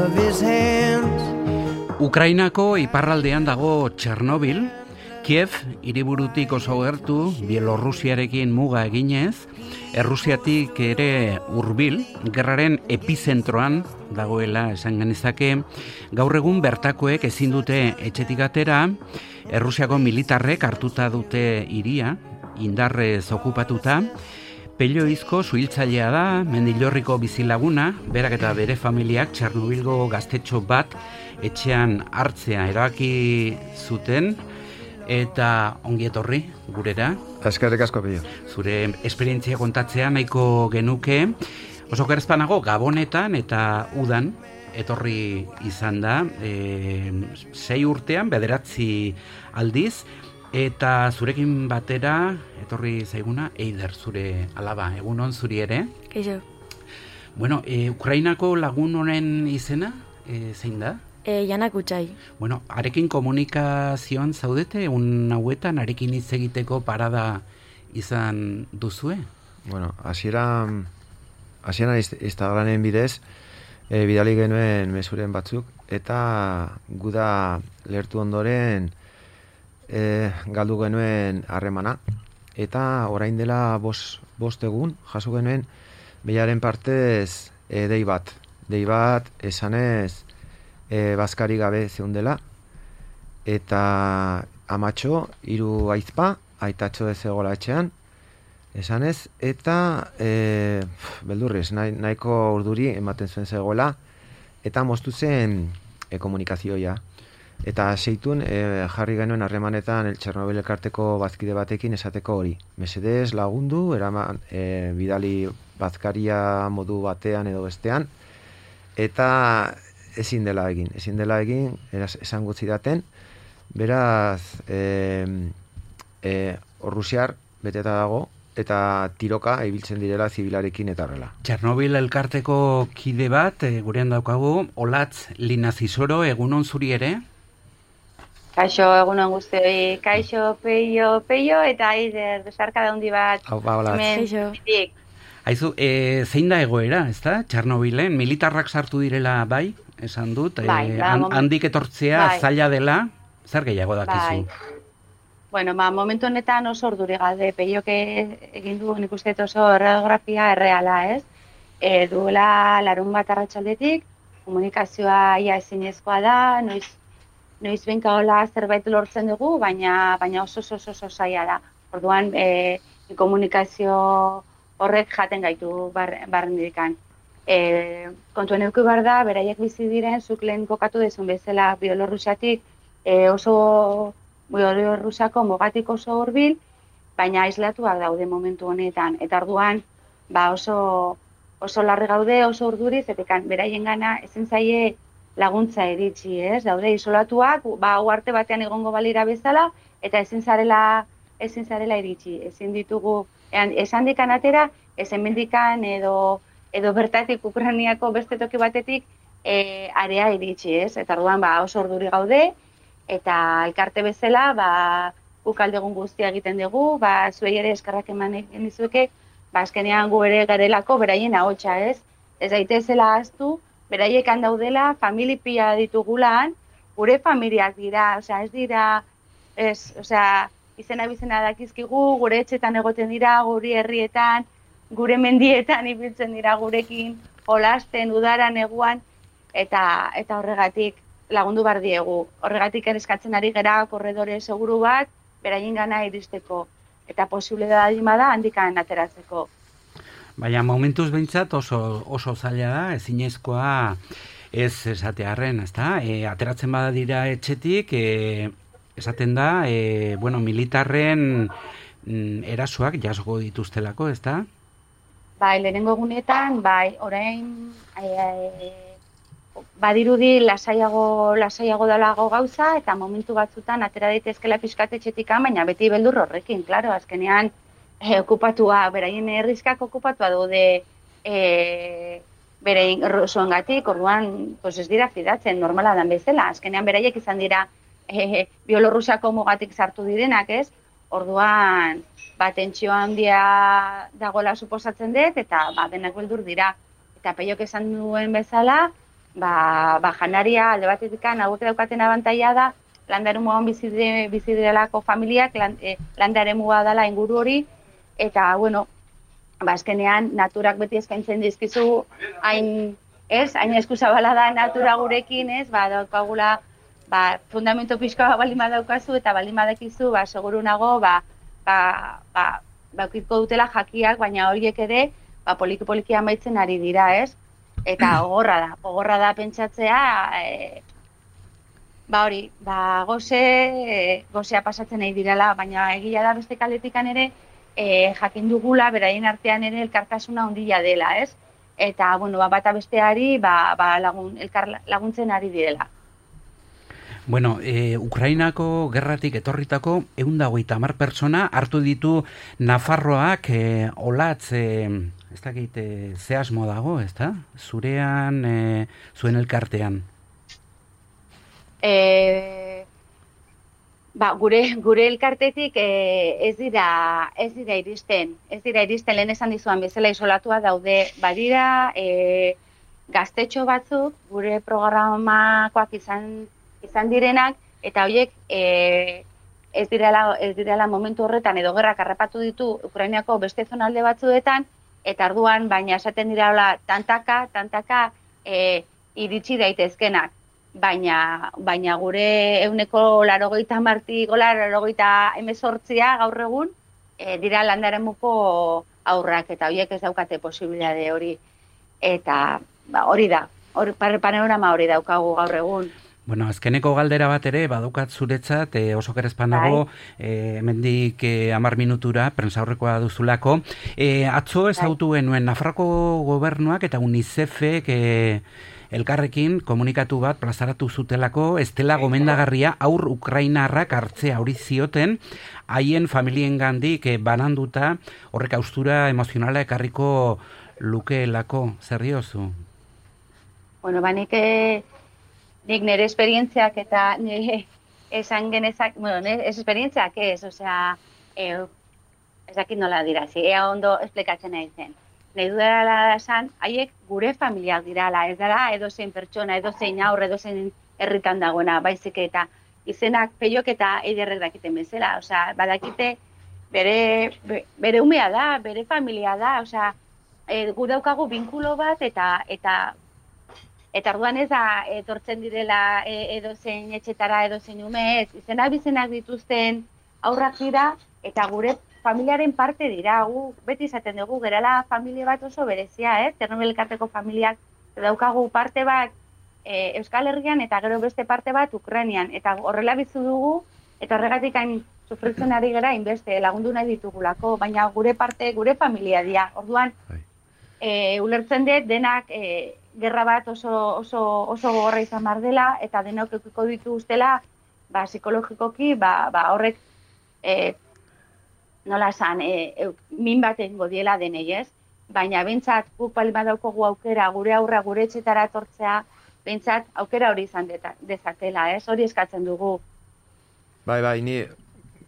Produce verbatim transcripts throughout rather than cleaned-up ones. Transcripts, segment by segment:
of his hands. Ukrainako iparraldean dago Txernobil, Kiev hiriburutik oso gertu, Bielorrusiarekin muga eginez, Errusiatik ere hurbil, gerraren epizentroan dagoela esan genezake, gaur egun bertakoek ezin dute etxetik atera, Errusiako militarrek hartuta dute hiria, indarrez okupatuta, Pelloizko suhiltzailea da, Mendillorriko bizilaguna, berak eta bere familiak Txernobilgo gaztetxo bat etxean hartzea erabaki zuten, eta ongi etorri gurera. Eskerrik asko, Pello. Zure esperientzia kontatzea nahiko genuke. Oso gerezpanago Gabonetan eta Udan etorri izan da, e, sei urtean, bederatzi aldiz, eta zurekin batera etorri zaiguna Eider, zure alaba, egunon zuri ere. Kaixo. Bueno, e, Ukrainako lagun honen izena, e, zein da? E, Janak Utxai. Bueno, arekin komunikazioan zaudete, un hauetan arekin hitz egiteko parada izan duzue? Bueno, hasieran hasieran Instagramen bidez e, bidali genuen mezuren batzuk, eta guda lertu ondoren e, galdu genuen harremana, eta orain dela bost, bost egun jaso genuen behiaren partez e, dei bat. Dei bat esanez e, bazkari gabe zeundela, eta amatxo, hiru aizpa, aitatxo ez egola etxean, esanez, eta e, beldurrez, nahi, nahiko urduri ematen zuen zegoela, eta moztu zen e, komunikazioa. Eta seitun e, jarri genuen harremanetan el Txernobil elkarteko bazkide batekin esateko hori. Mesedez lagundu, eraman e, bidali bazkaria modu batean edo bestean, eta ezin dela egin, ezin dela egin, eraz, esan gutzi daten, beraz, e, e, Rusiar beteta dago, eta tiroka ibiltzen direla zibilarekin eta horrela. Txernobil elkarteko kide bat, e, gurean daukagu, Olatz Linazizoro, egunon zuri ere? Kaixo, egunon guztioi, kaixo, peio, peio, eta Eider, besarka daundi bat. Hau, ba, Olatz. Kaixo. Haizu, e, zein da egoera, ez da, Txernobilen? Militarrak sartu direla bai, esan dut, bai, e, ba, han, moment... handik etortzea bai. zaila dela, zer gehiago dakizu? Bai. Bueno, ba, momentu honetan oso orduri galde, peioke egin du nik uste oso radiografia erreala, ez? E, duela larun bat arratsaldetik, komunikazioa ia ezinezkoa da, noiz, noiz benka hola zerbait lortzen dugu, baina, baina oso oso oso, oso zaila da. Orduan, e, komunikazio horrek jaten gaitu bar, barren dikan. E, kontuen eduki behar da, beraiek bizi diren, zuk lehen kokatu dezun bezala Bielorrusiatik e, oso Bielorrusiako mugatik oso hurbil, baina aislatuak daude momentu honetan. Eta orduan, ba oso, oso larri gaude, oso urduriz, eta beraien gana ezin zaie laguntza iritsi, ez? Daude isolatuak, ba uharte batean egongo balira bezala, eta ezin zarela, ezin zarela iritsi. Ezin ditugu, esan dikan atera, ezen mendikan edo edo bertatik Ukrainiako beste toki batetik e, area iritsi, ez? Eta orduan ba oso urduri gaude, eta elkarte bezala, ba, guk aldegun guztia egiten dugu, ba, zuei ere eskerrak eman egin dizueke, ba, azkenean gu ere garelako beraien ahotsa, ez? Ez daitezela ahaztu, beraiek handaudela, famili pila ditugulan, gure familiak dira, osea, ez dira, ez, osea, izena bizena dakizkigu, gure etxetan egoten dira, gure herrietan, gure mendietan ibiltzen dira gurekin, jolasten, udaran, neguan, eta, eta horregatik, lagundu bar diegu. Horregatik eskatzen ari gera korredore seguru bat, beraien gana iristeko. Eta posible da da handikan ateratzeko. Baina momentuz behintzat oso, oso zaila da, ezinezkoa ez esatearren, ezta? E, ateratzen bada dira etxetik, e, esaten da, e, bueno, militarren mm, erasoak jasoko dituztelako, ezta? Bai, lehenengo egunetan, bai, orain... E, e, badirudi lasaiago lasaiago dalago gauza, eta momentu batzutan atera daitezkela pizkatetxetikan, baina beti beldur horrekin, claro, azkenean eh, okupatua, beraien herrizkak okupatua daude eh, beraien zuengatik, orduan pues ez dira fidatzen, normala dan bezala, azkenean beraiek izan dira eh, Bielorrusiako mugatik sartu direnak, ez? Orduan, ba, tentsio handia dagoela suposatzen dut, eta ba, denak beldur dira. Eta Peiok esan duen bezala, ba, ba janaria alde batetik hauek daukaten abantaila da, landaremuan bizi bizi direlako familiak, lan, e, landaremua dela inguru hori, eta, bueno, ba, azkenean, naturak beti eskaintzen dizkizu, hain, ez, hain eskuzabala da natura gurekin, ez, ba, daukagula, ba, fundamento pixkoa baldin badaukazu, eta baldin badakizu, ba, seguru nago, ba, ba, ba, baukiko dutela jakiak, baina horiek ere, ba, poliki-poliki amaitzen ari dira, ez? Eta gogorra da, gogorra da pentsatzea, e, ba hori, ba, goze, e, gozea pasatzen nahi direla, baina egia da beste kaletikan ere, e, jakin dugula, beraien artean ere elkartasuna handia dela, ez? Eta, bueno, ba, bata besteari, ba, ba, lagun, elkar laguntzen ari direla. Bueno, e, Ukrainako gerratik etorritako ehun eta hogeita hamar pertsona hartu ditu Nafarroak e, olatz, e, ez dakit, e, ze asmo dago, ez da? Zurean, e, zuen elkartean. E, ba, gure, gure elkartetik e, ez dira ez dira iristen, ez dira iristen lehen esan dizuan bezala isolatua daude, badira e, gaztetxo batzuk gure programakoak izan izan direnak, eta horiek e, ez direla ez direla momentu horretan edo gerrak harrapatu ditu Ukrainako beste zonalde batzuetan, eta arduan baina esaten dira tantaka, tantaka e, iritsi daitezkenak. Baina, baina gure ehuneko laurogeita hamartik laurogeita hemezortzia gaur egun e, dira landaremuko aurrak, eta horiek ez daukate posibilitate hori. Eta ba, hori da, hori panorama hori daukagu gaur egun. Bueno, azkeneko galdera bat ere, badukat zuretzat, e, oso kerezpanago, e, hemendik e, amar minutura, prentsaurrekoa duzulako. E, atzo ezautu genuen Nafarroko gobernuak eta UNICEFek e, elkarrekin komunikatu bat plazaratu zutelako, ez dela gomendagarria aur ukrainarrak hartzea hori zioten, haien familiengandik e, bananduta horrek haustura emozionala ekarriko lukeelako. Zer diozu? Bueno, ba, nik, nik nire esperientziak eta nire esan genezak, bueno, nire esperientziak ez, osea, e, ez dakit nola dirazi, ea ondo esplikatzen nahi zen. Nahi dudala esan, haiek gure familiak dirala, ez dara edozein pertsona, edozein aurre, edozein herritan dagoena, baizik eta izenak peiok eta eiderrek dakiten bezala, osea, badakite bere, bere umea da, bere familia da, osea, e, gu daukagu binkulo bat eta eta eta orduan ez da etortzen direla e, edozein etxetara, edozein ume ez, izenak bizenak dituzten aurrak dira eta gure familiaren parte dira, gu beti izaten dugu, gerala familia bat oso berezia, eh? Ternobel elkarteko familiak daukagu parte bat e, Euskal Herrian eta gero beste parte bat Ukrainian, eta horrela bizu dugu, eta horregatik hain sufritzen ari gara inbeste lagundu nahi ditugulako, baina gure parte, gure familia dira. Orduan, e, ulertzen dut denak e, gerra bat oso, oso, oso gogorra izan bar dela, eta denok eukiko ditu ustela, ba, psikologikoki, ba, ba, horrek e, nola esan, e, e, min baten godiela denei, ez? Baina bentsat guk bali badaukogu aukera, gure aurra gure etxetara etortzea, bentsat aukera hori izan dezatela, ez? Hori eskatzen dugu. Bai, bai, ni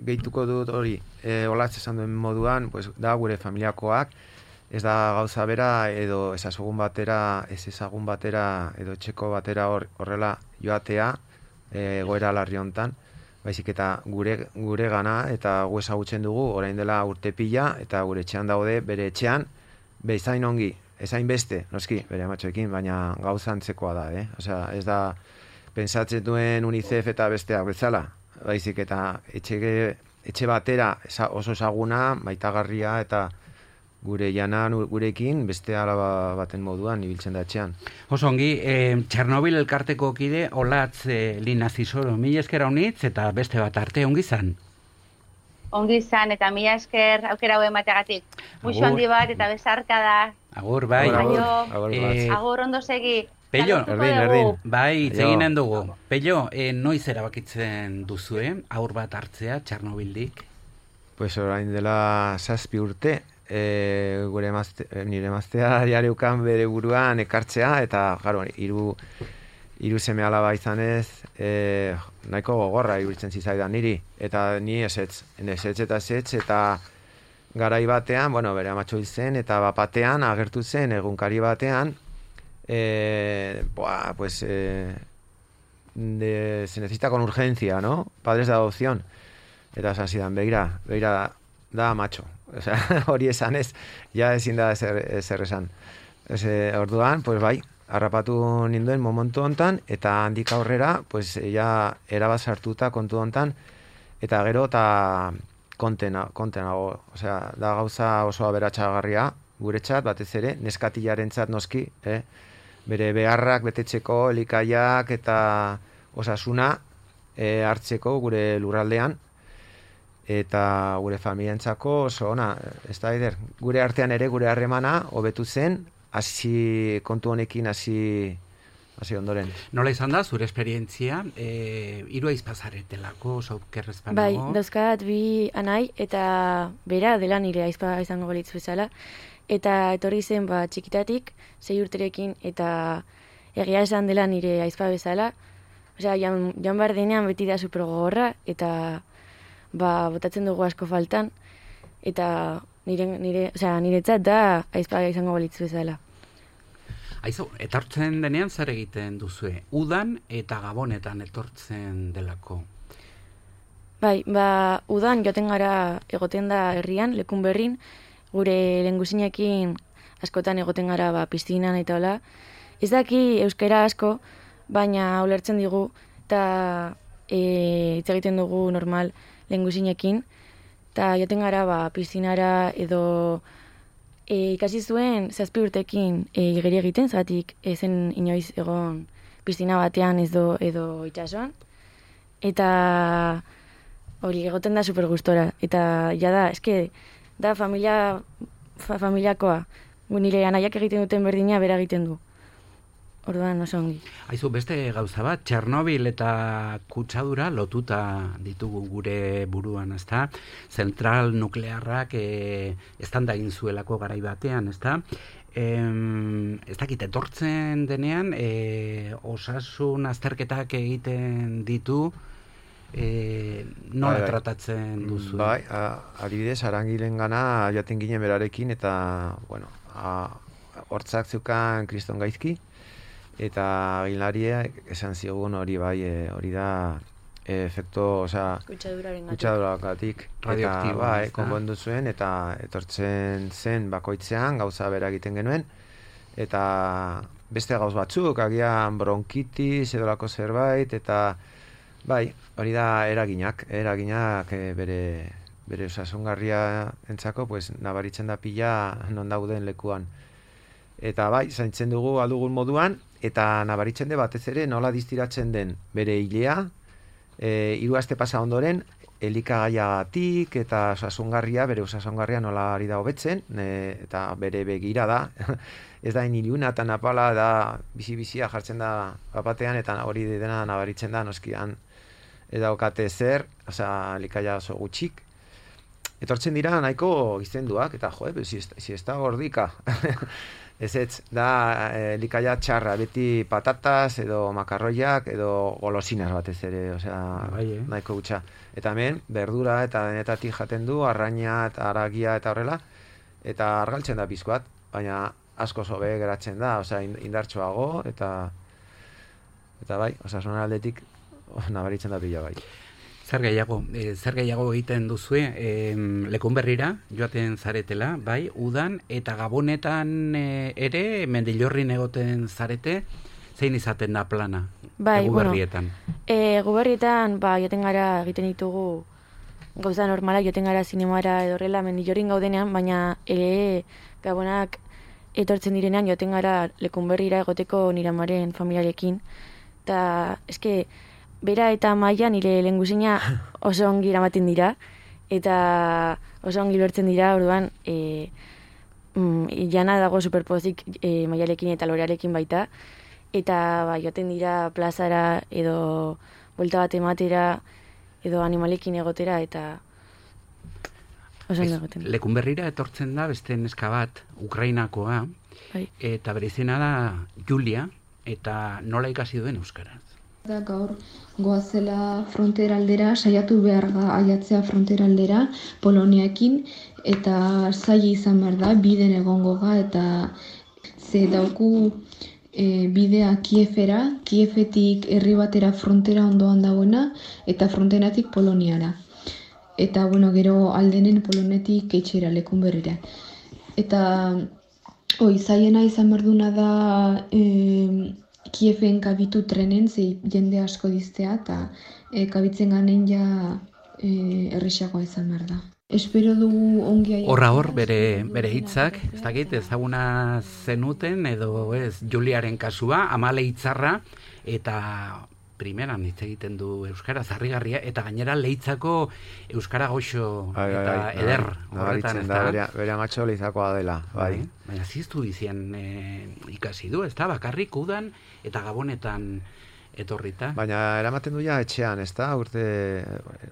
gehituko dut hori, e, olatz esan duen moduan, pues, da gure familiakoak, ez da gauza bera edo ezagun batera, ez ezagun batera edo etxeko batera hor, horrela joatea, e, goera larri hontan, baizik eta gure, gure gana eta gu ezagutzen dugu orain dela urte pila eta gure etxean daude bere etxean bezain ongi, ezain beste, noski, bere amatxoekin, baina gauza antzekoa da, eh? Osea, ez da pentsatzen duen UNICEF eta besteak bezala, baizik eta etxe, etxe batera oso ezaguna, maitagarria eta gure jana gurekin beste alaba baten moduan ibiltzen da etxean. Oso ongi, e, Txernobil elkarteko kide olatz e, linazizoro, mila esker haunitz eta beste bat arte ongi zan? Ongi zan eta mila esker aukera hau emateagatik. Muxo handi bat eta besarka da. Agur, bai. Agur, agur, e, agur ondo segi. Pello, erdin, erdin. Bai, zeginen dugu. Pello, e, noiz erabakitzen duzue, aur bat hartzea Txernobildik? Pues orain dela zazpi urte, e, gure emazte, nire emaztea jareukan bere buruan ekartzea, eta jaro, hiru hiru seme alaba izanez, e, nahiko gogorra iruditzen zizaidan niri, eta ni esetz, esetz eta esetz, eta garai batean, bueno, bere amatxo hil zen, eta bapatean agertu zen egunkari batean, eh, buah, pues eh, de, se necesita con urgencia, ¿no? Padres de adopción. Eta esan zidan, begira, begira da macho. Osea, hori esan ez, ja ezin da ezer, ezer esan. Ese, orduan, pues bai, harrapatu ninduen momentu hontan, eta handik aurrera, pues ja erabat sartuta kontu hontan, eta gero eta kontena, kontenago. Osea, da gauza oso aberatsagarria guretzat, batez ere, neskatilarentzat noski, eh? Bere beharrak betetzeko, elikaiak eta osasuna eh, hartzeko gure lurraldean, eta gure familientzako oso ona, ez da eder, gure artean ere gure harremana hobetu zen, hasi kontu honekin hasi hasi ondoren. Nola izan da zure esperientzia, eh, hiru aizpazaretelako, saukerrezpanago? Bai, dauzkat bi anai eta bera dela nire aizpa izango balitz bezala, eta etorri zen ba txikitatik, sei urterekin, eta egia esan dela nire aizpa bezala, osea, jan, jan behar denean beti da super gogorra, eta ba, botatzen dugu asko faltan, eta nire, nire, osea, niretzat da aizpa izango balitz bezala. Aizu, etortzen denean zer egiten duzue? Udan eta gabonetan etortzen delako? Bai, ba, udan joten gara egoten da herrian, lekun berrin, gure lenguzinekin askotan egoten gara ba, piztinan eta hola. Ez daki euskara asko, baina ulertzen digu, eta e, hitz egiten dugu normal lenguzinekin, eta joten gara ba, piztinara edo e, ikasi zuen zazpi urtekin e, igeri egiten, zagatik ezen inoiz egon piztina batean ez do, edo itxasuan, eta hori egoten da super gustora, eta ja da, eske, da familia, fa, familiakoa, nire anaiak egiten duten berdina bera egiten du. Orduan oso ongi. Aizu, beste gauza bat, Txernobil eta kutsadura lotuta ditugu gure buruan, ezta? Zentral nuklearrak e, eztanda egin zuelako garai batean, ezta? Em, ez dakit, etortzen denean, e, osasun azterketak egiten ditu, e, nola bai, bai. tratatzen duzu? Bai, a, adibidez, arangilen gana jaten ginen berarekin, eta, bueno, a, hortzak zeukan kriston gaizki, eta gilariak esan zigun hori bai, e, hori da e, efekto, osea, kutsaduragatik, eta bai, konpondu zuen, eta etortzen zen bakoitzean gauza bera egiten genuen, eta beste gauz batzuk, agian bronkitis edolako zerbait, eta bai, hori da eraginak, eraginak e, bere bere osasungarria entzako, pues, nabaritzen da pila non dauden lekuan. Eta bai, zaintzen dugu aldugun moduan, eta nabaritzen de batez ere nola distiratzen den bere hilea, e, hiru aste pasa ondoren, elikagaiagatik eta osasungarria, bere osasungarria nola ari da hobetzen, e, eta bere begira da, ez da iniluna eta napala, da bizi-bizia jartzen da bapatean, eta hori dena nabaritzen da, noskian, eta okate zer, osea, elikaia oso gutxik, etortzen dira nahiko gizenduak, eta jo, si, si ez da gordika, ez ez, da elikaia txarra, beti patatas edo makarroiak edo golosinas batez ere, osea, bai, eh? nahiko gutxa. Eta hemen, berdura eta denetatik jaten du, arraina eta aragia eta horrela, eta argaltzen da pizkoat, baina asko sobe geratzen da, osea, indartsuago, eta eta bai, osasun aldetik nabaritzen da pila bai. Zer gehiago, e, zer gehiago egiten duzue, e, lekun berrira joaten zaretela, bai, udan, eta gabonetan e, ere, mendillorrin egoten zarete, zein izaten da plana, bai, eguberrietan? Bueno, e, eguberrietan, ba, joten gara egiten ditugu gauza normalak, joten gara zinemara edorrela mendillorrin gaudenean, baina ere gabonak etortzen direnean joten gara lekun berrira egoteko nire amaren familiarekin, eta eske, bera eta Maia nire lehengusina oso ongi eramaten dira, eta oso ongi lortzen dira, orduan, e, mm, jana dago superpozik e, Maiarekin eta Lorearekin baita, eta ba, joaten dira plazara edo buelta bat ematera, edo animalekin egotera, eta oso ondo egoten. Lekun berrira etortzen da beste neska bat, Ukrainakoa, bai. Eta bere izena da Julia, eta nola ikasi duen euskaraz? Da gaur goazela frontera aldera, saiatu behar da aiatzea frontera aldera Poloniakin, eta zaila izan behar da, biden egongo ga, eta ze dauku e, bidea Kiefera, Kiefetik herri batera frontera ondoan dagoena, eta fronteratik Poloniara. Eta, bueno, gero aldenen Polonetik etxera, Lekunberrira. Eta, oi, zaiena izan berduna da e, Kiefen kabitu trenen, ze jende asko diztea, eta e, kabitzen ganen ja e, errexagoa izan behar da. Espero dugu ongi aiatzea. Horra hor, bere, bere hitzak, ez dakit, ezaguna zenuten, edo ez, Juliaren kasua, Amale Itzarra, eta primeran hitz egiten du euskara zarrigarria, eta gainera Leitzako euskara goxo Ai, ai, eta ai, eder nabaritzen horretan, ez da, da? bere, bere amatxo Leizakoa dela, bai. Baina ziztu izien e, ikasi du, ez da, bakarrik udan eta gabonetan etorrita. Baina eramaten du ja etxean, ez da, urte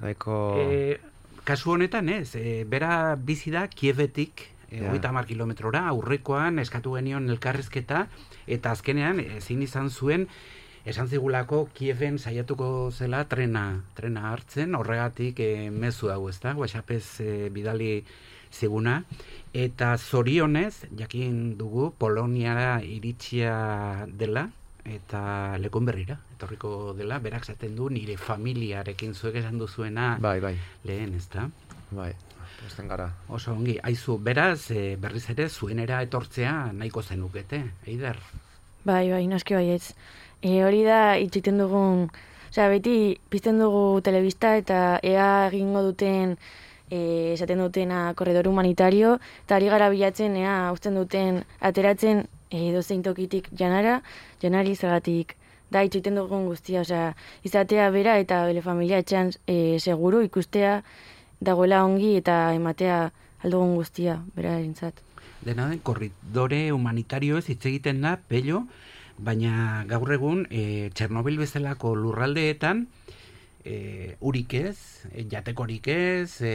nahiko... E, kasu honetan ez, e, bera bizi da Kievetik, Ja. hogeita hamar kilometrora, aurrekoan eskatu genion elkarrizketa, eta azkenean ezin izan zuen, esan zigulako Kieven saiatuko zela trena, trena hartzen, horregatik e, mezu hau, ez da, WhatsAppez e, bidali ziguna, eta zorionez, jakin dugu, Poloniara iritsia dela, eta Lekunberrira, etorriko dela, berak zaten du, nire familiarekin zuek esan duzuena Bai, bai, lehen, ez da? bai, posten gara. Oso ongi, aizu, beraz, e, berriz ere, zuenera etortzea nahiko zenukete, Eider? Bai, bai, noski baietz. E, hori da, itxiten dugun, osea, beti pizten dugu telebista eta ea egingo duten, e, esaten dutena korredor humanitario, eta ari gara bilatzen, ea uzten duten, ateratzen e, dozein tokitik janara, janari zagatik, da, itxiten dugun guztia, osea, izatea bera eta bere familia etxean e, seguru ikustea dagoela ongi eta ematea aldugun guztia, bera erintzat. Dena den, korridore humanitario ez hitz egiten da, pello, baina gaur egun e, Txernobil bezalako lurraldeetan e, urik ez, e, jatekorik ez, e,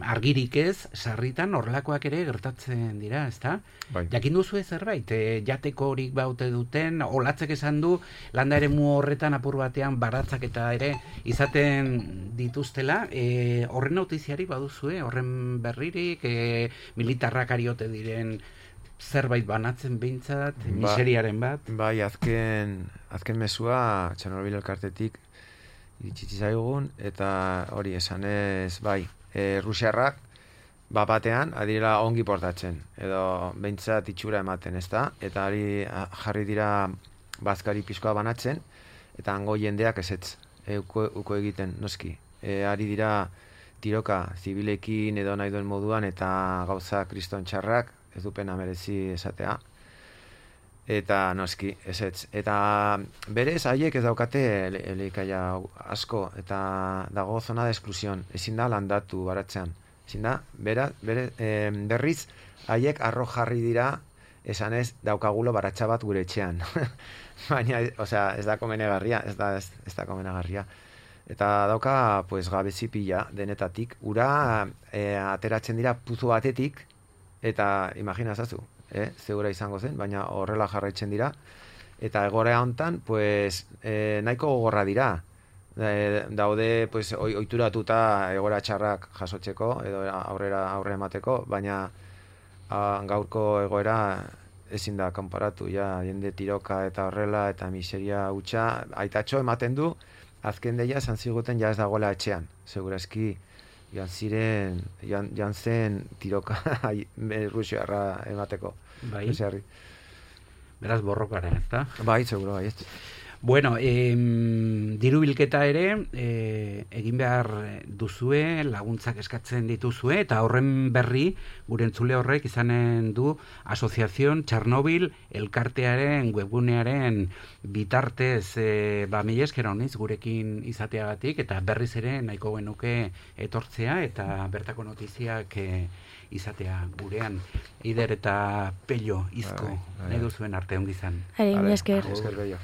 argirik ez, sarritan horrelakoak ere gertatzen dira, ezta? Bai. Jakin duzu zerbait, e, jatekorik baute duten, olatzek esan du, landa ere mu horretan apur batean baratzak eta ere izaten dituztela, e, horren notiziari baduzue, horren berririk, e, militarrak ariote diren zerbait banatzen behintzat, Ba- miseriaren bat. Bai, azken, azken mesua Txernobil elkartetik iritsitzi zaigun, eta hori esanez, bai, e, Rusiarrak ba batean adirela ongi portatzen, edo behintzat itxura ematen, ez da? Eta ari a- jarri dira bazkari pizkoa banatzen, eta hango jendeak ezetz, e, uko, uko egiten, noski. E, ari dira tiroka zibilekin edo nahi duen moduan, eta gauza kriston txarrak, ez du pena merezi esatea. Eta noski, ezetz. Eta berez, haiek ez daukate ele- elikaia asko, eta dago zona de esklusion. Ezin da landatu baratzean. Ezin da, bera, bere, eh, berriz, haiek arro jarri dira, esanez, daukagulo baratxa bat gure etxean. Baina, osea, ez da komenegarria, ez da, ez, ez da komenegarria. Eta dauka, pues, gabezi pila denetatik. Ura, eh, ateratzen dira puzu batetik, eta imagina zazu, eh? Zeura izango zen, baina horrela jarraitzen dira. Eta egorea hontan, pues, eh, nahiko gogorra dira. E, daude, pues, oi, oituratuta egoera txarrak jasotzeko, edo aurrera aurre emateko, baina a, gaurko egoera ezin da konparatu, ja, jende tiroka eta horrela, eta miseria hutsa, aitatxo ematen du, azken deia esan ziguten ja ez dagoela etxean, segurazki joan ziren, joan, joan zen tiroka Rusiarra emateko. Bai. Rusiarri. Beraz borrokara, ez da? Bai, seguro, bai. Bueno, em, diru bilketa ere e, egin behar duzue, laguntzak eskatzen dituzue, eta horren berri gure entzule horrek izanen du Asoziazion Txernobil elkartearen webgunearen bitartez e, ba, mila esker honiz gurekin izateagatik, eta berriz ere nahiko genuke etortzea eta bertako notiziak e, izatea gurean. Eider eta Pello, izko, Bai, bai, bai. nahi duzuen arte ongizan. Ari, mila esker. Esker bello.